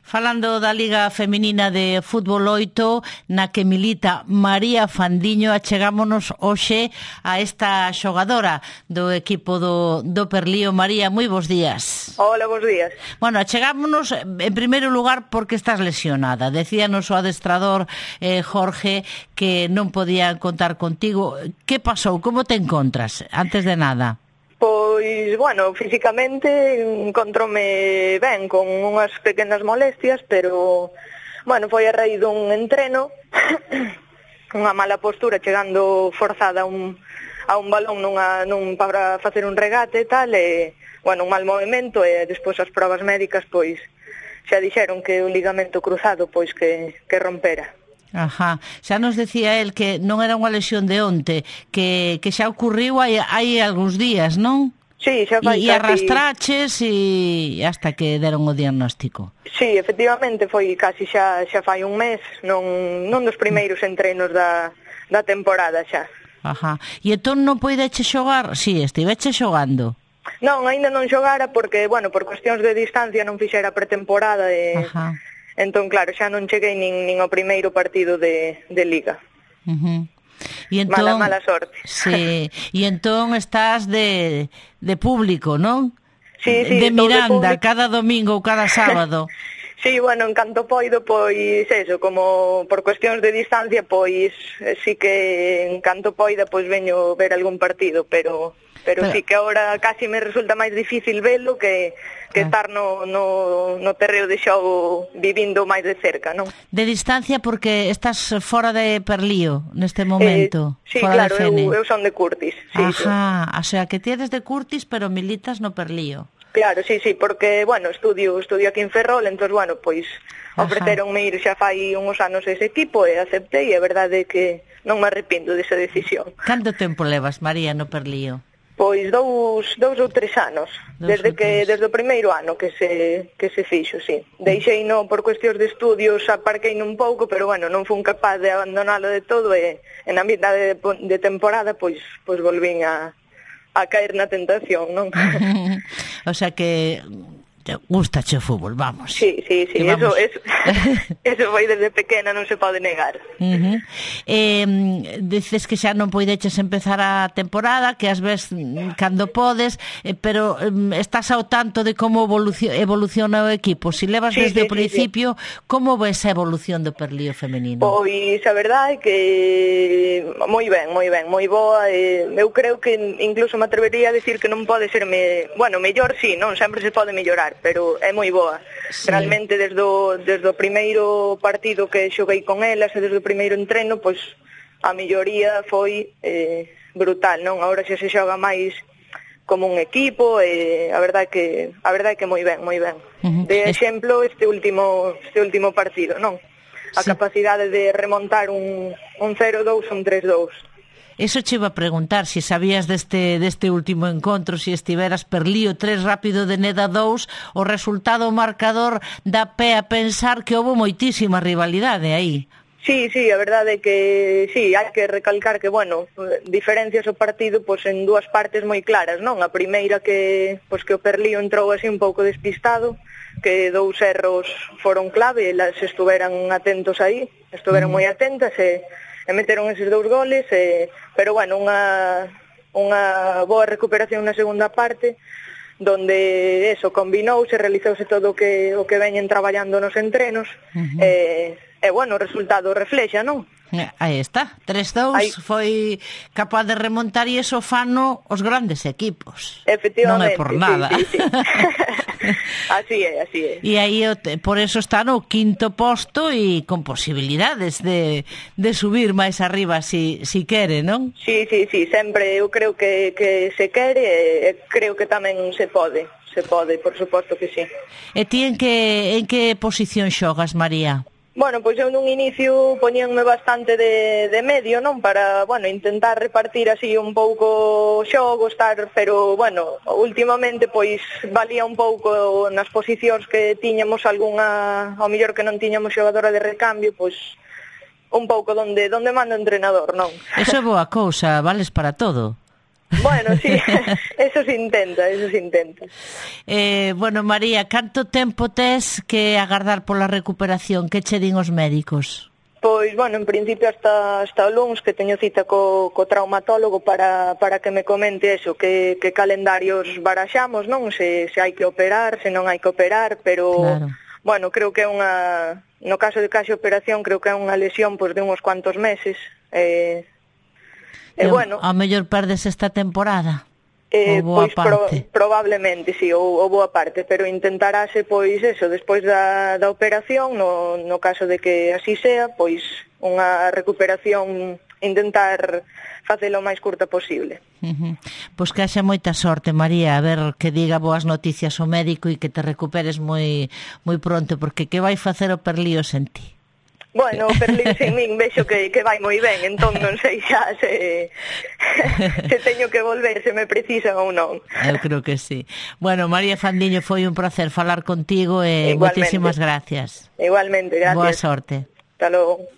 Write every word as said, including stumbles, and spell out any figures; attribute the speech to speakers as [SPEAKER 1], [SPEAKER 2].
[SPEAKER 1] Falando da Liga Feminina de Fútbol oito, na que milita María Fandiño, achegámonos hoxe a esta xogadora do equipo do, do Perlío. María, moi bons días.
[SPEAKER 2] Hola, bons días.
[SPEAKER 1] Bueno, achegámonos en primeiro lugar porque estás lesionada. Decíanos o adestrador eh, Jorge que non podía contar contigo. Que pasou? Como te encontras? Antes de nada.
[SPEAKER 2] Pois, bueno, físicamente encontrome ben, con unhas pequenas molestias, pero, bueno, foi a raíz dun entreno, unha mala postura, chegando forzada a un, a un balón nunha, nun, para facer un regate e tal, e, bueno, un mal movimento, e despois as probas médicas, pois, xa dixeron que o ligamento cruzado, pois, que, que rompera.
[SPEAKER 1] Ajá, xa nos decía el que non era unha lesión de onte, que, que xa ocurriu hai, hai algúns días, non?
[SPEAKER 2] Sí, xa fai
[SPEAKER 1] e, e arrastraches e hasta que deron o diagnóstico.
[SPEAKER 2] Sí, efectivamente, foi casi xa, xa fai un mes, non, non dos primeiros entrenos da, da temporada xa.
[SPEAKER 1] Ajá, e entón non poideche xogar? Si, sí, estiveche xogando.
[SPEAKER 2] Non, aínda non xogara porque, bueno, por cuestións de distancia non fixera pretemporada e... Ajá. Entón, claro, xa non cheguei nin, nin ao primeiro partido de, de Liga.
[SPEAKER 1] Uh-huh. E entón,
[SPEAKER 2] mala, mala sorte.
[SPEAKER 1] Sí, e entón estás de, de público, non?
[SPEAKER 2] Sí, sí,
[SPEAKER 1] de Miranda,
[SPEAKER 2] de
[SPEAKER 1] cada domingo ou cada sábado.
[SPEAKER 2] Sí, bueno, en canto poido, pois, eso, como por cuestións de distancia, pois, sí que en canto poida, pois, veño ver algún partido, pero... Pero, pero sí que agora casi me resulta máis difícil velo que, que ah. estar no, no, no terreo de xogo vivindo máis de cerca, non?
[SPEAKER 1] De distancia porque estás fora de Perlío neste momento.
[SPEAKER 2] Eh, sí,
[SPEAKER 1] fora
[SPEAKER 2] claro,
[SPEAKER 1] de
[SPEAKER 2] eu, eu son de Curtis. Sí,
[SPEAKER 1] Ajá,
[SPEAKER 2] sí.
[SPEAKER 1] O sea que ti eres de Curtis pero militas no Perlío.
[SPEAKER 2] Claro, sí, sí, porque, bueno, estudio estudio aquí en Ferrol, entón, bueno, pois ofreceronme ir xa fai uns anos ese equipo e aceptei, e a verdade é que non me arrependo desa decisión.
[SPEAKER 1] Canto tempo levas, María, no Perlío?
[SPEAKER 2] Pois dous, dous ou tres anos, dous desde que desde o primeiro ano que se que se fixo, sí. Deixei no por cuestións de estudios, aparquei un pouco, pero bueno, non fun capaz de abandonalo de todo e en a mitad de, de temporada pois pois volvín a a caer na tentación, non?
[SPEAKER 1] O sea que gustache o fútbol, vamos.
[SPEAKER 2] Sí, sí, sí, eso, eso, eso foi desde pequena, non se pode negar.
[SPEAKER 1] Uh-huh. Eh, dices que xa non poideches empezar a temporada, que ás ves cando podes, eh, pero eh, estás ao tanto de como evoluciona, evoluciona o equipo. Si levas sí, desde sí, o principio, sí, sí. Como ves a evolución do Perlío femenino?
[SPEAKER 2] Pois a verdade é que moi ben, moi ben, moi boa. Eh, eu creo que incluso me atrevería a decir que non pode ser, me... bueno, mellor sí, non sempre se pode mellorar, pero é moi boa. Sí. Realmente desde o, desde o primeiro partido que xoguei con elas e desde o primeiro entreno, pois a melloría foi eh, brutal, non? Agora xa se xoga máis como un equipo e a verdade que a verdade que moi ben, moi ben. Uh-huh. De exemplo este último este último partido, non? A sí. Capacidade de remontar un un cero dous, un tres dous.
[SPEAKER 1] Eso che iba a preguntar, se si sabías deste, deste último encontro, se si estiveras Perlío tres, Rápido de Neda dous, o resultado o marcador dá pé a pensar que houve moitísima rivalidade aí.
[SPEAKER 2] Sí, sí, a verdade é que sí, hai que recalcar que, bueno, diferencias o partido pois en dúas partes moi claras, non? A primeira que pois que o Perlío entrou así un pouco despistado, que dous erros foron clave, elas estuveran atentos aí, estuveran mm. moi atentas e e meteron eses dous goles, e, pero bueno, unha, unha boa recuperación na segunda parte, donde eso, combinouse, realizouse todo o que, o que veñen traballando nos entrenos, uh-huh. e, e bueno, o resultado reflexa, non?
[SPEAKER 1] Aí está, tres dous foi capaz de remontar e iso fano os grandes equipos.
[SPEAKER 2] Efectivamente.
[SPEAKER 1] Non é por nada.
[SPEAKER 2] Sí, sí, sí. Así é, así é.
[SPEAKER 1] E aí por eso está no quinto posto e con posibilidades de, de subir máis arriba si, si quere, non?
[SPEAKER 2] Sí, sí, sí, sempre eu creo que, que se quere e creo que tamén se pode, se pode, por suposto que sí.
[SPEAKER 1] E ti en que, en que posición xogas, María?
[SPEAKER 2] Bueno, pois eu nun inicio poñíanme bastante de, de medio, non? Para, bueno, intentar repartir así un pouco xogo, estar, pero, bueno, últimamente, pois, valía un pouco nas posicións que tiñamos algunha, ao mellor que non tiñamos xogadora de recambio, pois, un pouco donde, donde manda o entrenador, non?
[SPEAKER 1] Eso é boa cousa, vales para todo.
[SPEAKER 2] Bueno, sí, eso se intenta, eso se intenta.
[SPEAKER 1] Eh, bueno, María, canto tempo tes que agardar pola recuperación? Que che din os médicos?
[SPEAKER 2] Pois, bueno, en principio hasta, hasta o luns que teño cita co, co traumatólogo para, para que me comente eso, que, que calendarios baraxamos, non? Se, se hai que operar, se non hai que operar, pero, claro. Bueno, creo que é unha, no caso de case operación, creo que é unha lesión pois, de uns cuantos meses. Eh, e, e bueno...
[SPEAKER 1] A mellor perdes esta temporada?
[SPEAKER 2] Eh, pois pro, probablemente, sí, ou, ou boa parte, pero intentarase, pois, eso, despois da, da operación, no, no caso de que así sea, pois, unha recuperación, intentar facelo o máis curta posible.
[SPEAKER 1] Uh-huh. Pois que haxa moita sorte, María, a ver que diga boas noticias ao médico e que te recuperes moi, moi pronto, porque que vai facer o Perlíos en ti?
[SPEAKER 2] Bueno, o Perlín sin min vexo que, que vai moi ben, entón non sei xa se, se teño que volver, se me precisan ou non.
[SPEAKER 1] Eu creo que sí. Bueno, María Fandiño, foi un placer falar contigo e moitísimas gracias.
[SPEAKER 2] Igualmente, gracias.
[SPEAKER 1] Boa sorte.
[SPEAKER 2] Hasta logo.